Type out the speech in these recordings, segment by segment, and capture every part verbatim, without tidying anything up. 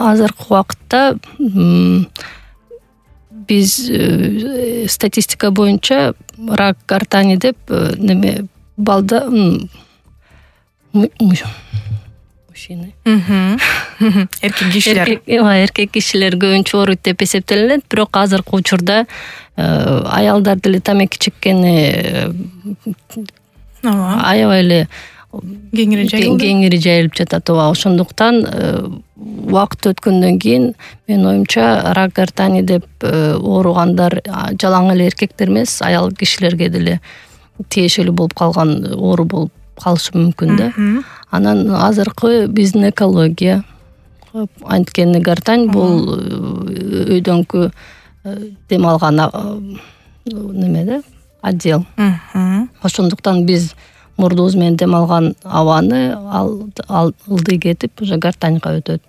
азыркы убакытта биз статистика боюнча рак гортани деп неме балда мужчины эркек кишилер эркек кишилер көбүнчө ооруйт деп эсептелинет. Бирок азыркы учурда аялдар деле тамеки чеккени аябай эле кеңири жайылып жатат. Ооба, ошондуктан убакыт өткөндөн кийин менин оюмча рак гортани деп ооругандар жалаң эле эркектер эмес, аял кишилерге деле тиешелүү болуп калган оору болуп калышы мүмкүн да. Анан азыркы биздин экология, анткени гортань бул өйдөңкү дем алган неме да, отдел. Ошондуктан биз мурдубуз менен дем алган абаны ылдый кетип уже гортаньга өтөт.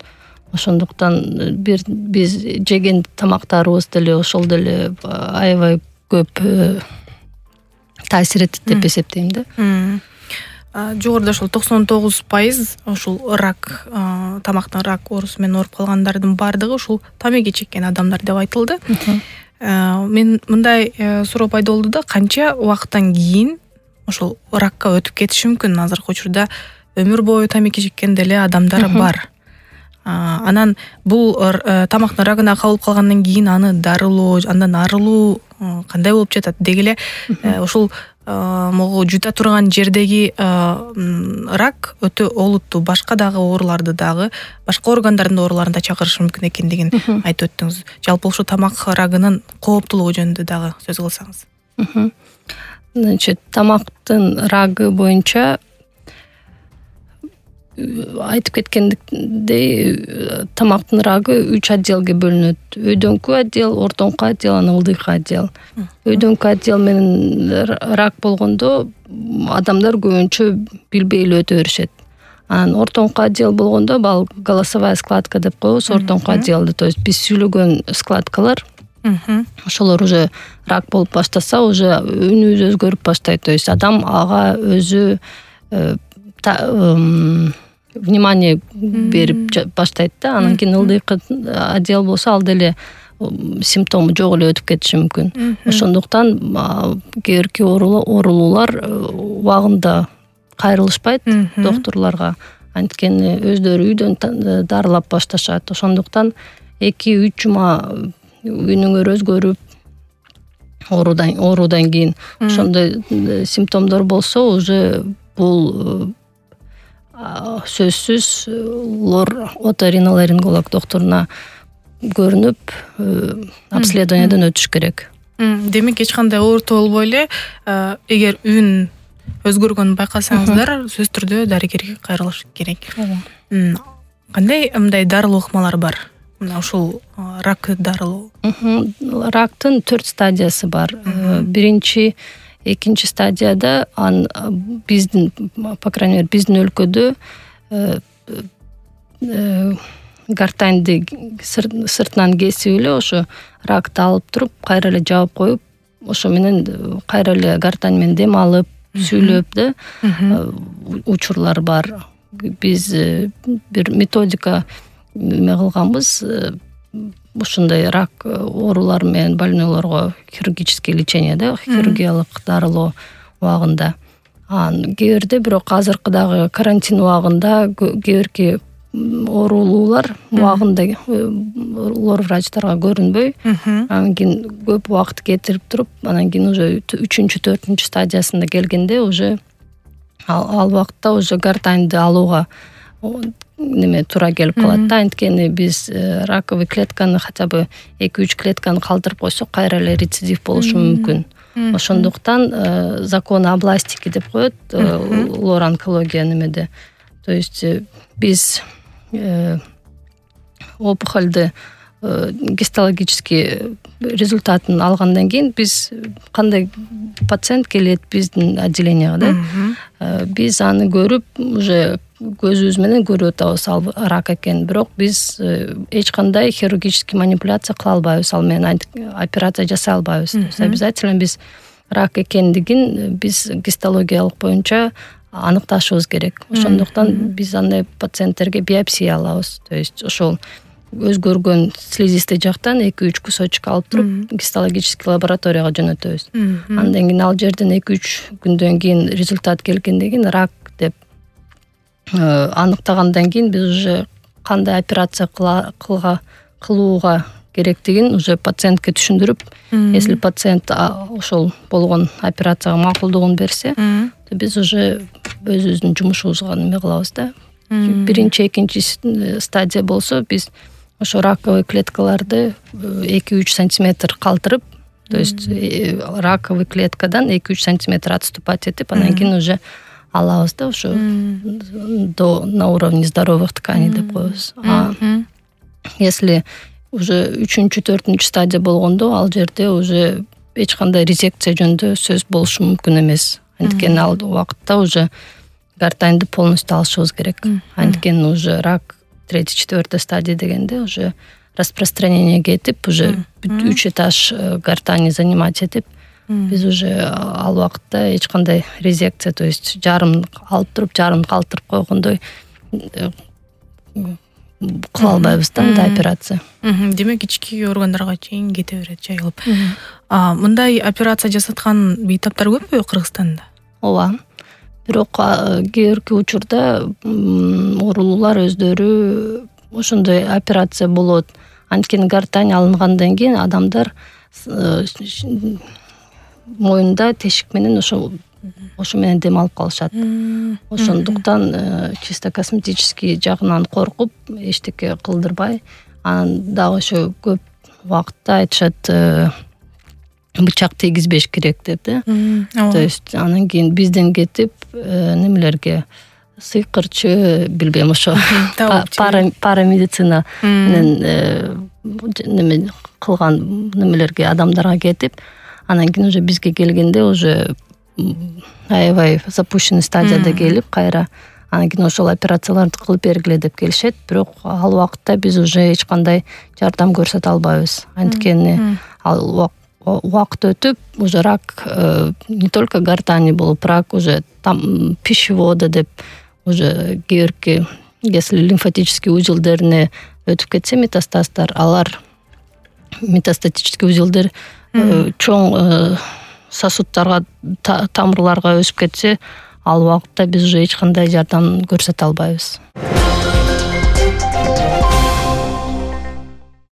Ошондуктан бир биз жеген тамактарыбыз деле ошол деле аябай көп таасир этет деп эсептейм да. Жогоруда ошол токсон тогуз пайыз ушул рак, тамактан рак оорусу менен ооруп калгандардын баардыгы ушул тамеки чеккен адамдар деп айтылды. Мен мындай суроо пайда болду да, канча убакыттан кийин ошол ракка өтүп кетиши мүмкүн? Азыркы учурда өмүр бою тамеки чеккен деле адамдар бар. Анан бул тамактын рагына кабылып калгандан кийин аны дарылоо, андан арылуу кандай болуп жатат? Деги эле ушул могу жута турган жердеги рак өтө олуттуу башка дагы ооруларды дагы, башка органдардын ооруларын да чакырышы мүмкүн экендигин айтып өттүңүз. Жалпы ушул тамак рагынын кооптуулугу жөнүндө дагы сөз кылсаңыз. Значит, тамактын рагы боюнча айтып кеткендей, тамактын рагы үч отделге бөлүнөт. Өйдөңкү отдел, ортоңку отдел, анан ылдыйкы отдел. Өйдөңкү отдел менен рак болгондо адамдар көбүнчө билбей эле өтө беришет. Анан ортоңку отдел болгондо бал голосовая складка деп коебуз, ортоңку отделде, то есть биз сүйлөгөн складкалар, ошолор уже рак болуп баштаса, уже үнүбүз өзгөрүп баштайт. То есть адам ага өзү внимание берип баштайт да. Анан кийин ылдыйкы отдел болсо ал деле симптому жок эле өтүп кетиши мүмкүн. Ошондуктан кээ бирки оорулуулар убагында кайрылышпайт докторлорго, анткени өздөрү үйдөн дарылап башташат. Ошондуктан эки үч жума үнүңөр өзгөрүп оорудан оорудан кийин ошондой симптомдор болсо, уже бул сөзсүз лор оториноларинголог докторуна көрүнүп обследованиядан өтүш керек. Демек эч кандай оорутуу болбой эле, эгер үн өзгөргөнүн байкасаңыздар, сөзсүз түрдө дарыгерге кайрылыш керек. Кандай мындай дарылоо ыкмалар бар? Мына ушул рак дарылоо. Рактын төрт стадиясы бар. Биринчи, экинчи стадияда ан биздин, по крайней мере, биздин өлкөдө гортаньды сыртынан кесип эле ошо ракты алып туруп, кайра эле жаап коюп, ошо менен кайра эле гортань менен дем алып, сүйлөп да учурлар бар. Биз бир методика эме кылганбыз, ушундай рак оорулары менен больнойлорго хирургический лечение да, хирургиялык дарылоо убагында. Кээ бирде бирок азыркы дагы карантин убагында кээ бирки оорулуулар убагында лор врачтарга көрүнбөй, анан кийин көп убакыт кетирип туруп, анан кийин уже үчүнчү, төртүнчү стадиясында келгенде уже ал убакытта уже гортаньды алууга неме туура келип калат да. Анткени биз раковый клетканы хотя бы эки үч клетканы калтырып койсок, кайра эле рецидив болушу мүмкүн. Ошондуктан закон областики деп коет лор онкология немеде. То есть биз опухольды гистологический результатын алгандан кийин биз кандай пациент келет биздин отделенияга да, биз аны көрүп уже көзүбүз менен көрүп атабыз ал рак экенин. Бирок биз эч кандай хирургический манипуляция кыла албайбыз, ал менен операция жасай албайбыз. Обязательно биз рак экендигин биз гистологиялык боюнча аныкташыбыз керек. Ошондуктан биз андай пациенттерге биопсия алабыз. То есть ошол өзгөргөн слизистый жактан эки үч кусочек алып туруп гистологический лабораторияга жөнөтөбүз. Андан кийин ал жерден эки үч күндөн кийин результат келгенден кийин рак деп аныктагандан кийин биз уже кандай операция кылга кылууга керектигин уже пациентке түшүндүрүп, если пациент ошол болгон операцияга макулдугун берсе, биз уже өзүбүздүн жумушубузга неме кылабыз да. Биринчи, экинчи стадия болсо биз ошо раковый клеткаларды эки үч сантиметр калтырып, то есть раковый клеткадан эки үч сантиметр отступать этип, андан кийин уже алабыз да, ошо до на уровне здоровых тканей деп коебуз. А если уже үчүнчү, төртүнчү стадия болгондо ал жерде уже эч кандай резекция жөнүндө сөз болушу мүмкүн эмес. Анткени ал убакытта уже гортаньды полностью алышыбыз керек. Анткени уже рак третий, четвертый стадия дегенде уже распространение кетип, уже үч этаж гортани занимать этип, биз уже ал убакытта эч кандай резекция, то есть жарым алып туруп, жарым калтырып койгондой кыла албайбыз да андай операция. Демек ички органдарга чейин кете берет жайылып. Мындай операция жасаткан бейтаптар көппү Кыргызстанда? Ооба. Бирок кээ бирки учурда оорулуулар өздөрү ошондой операция болот. Анткени гортань алынгандан кийин адамдар моюнда тешик менен ошо ошо менен дем алып калышат. Ошондуктан чисто косметический жагынан коркуп эчтеке кылдырбай, анан дагы ошо көп убакытта айтышат бычак тийгизбеш керек деп да. То есть анан кийин бизден кетип немелерге сыйкырчы, билбейм, ошо парамедицина менен неме кылган немелерге адамдарга кетип, анан кийин уже бизге келгенде уже аябай запущенный стадияда келип кайра анан кийин ошол операцияларды кылып бергиле деп келишет. Бирок ал убакытта биз уже эч кандай жардам көрсөтө албайбыз. Анткени ал убакыт өтүп уже рак не только гортани болуп, рак уже там пищевода деп уже кээ бирки, если лимфатический узелдерине өтүп кетсе метастаздар, алар метастатический узелдер чоң сосудтарга, тамырларга өсүп кетсе, ал убакытта биз уже эч кандай жардам көрсөтө албайбыз.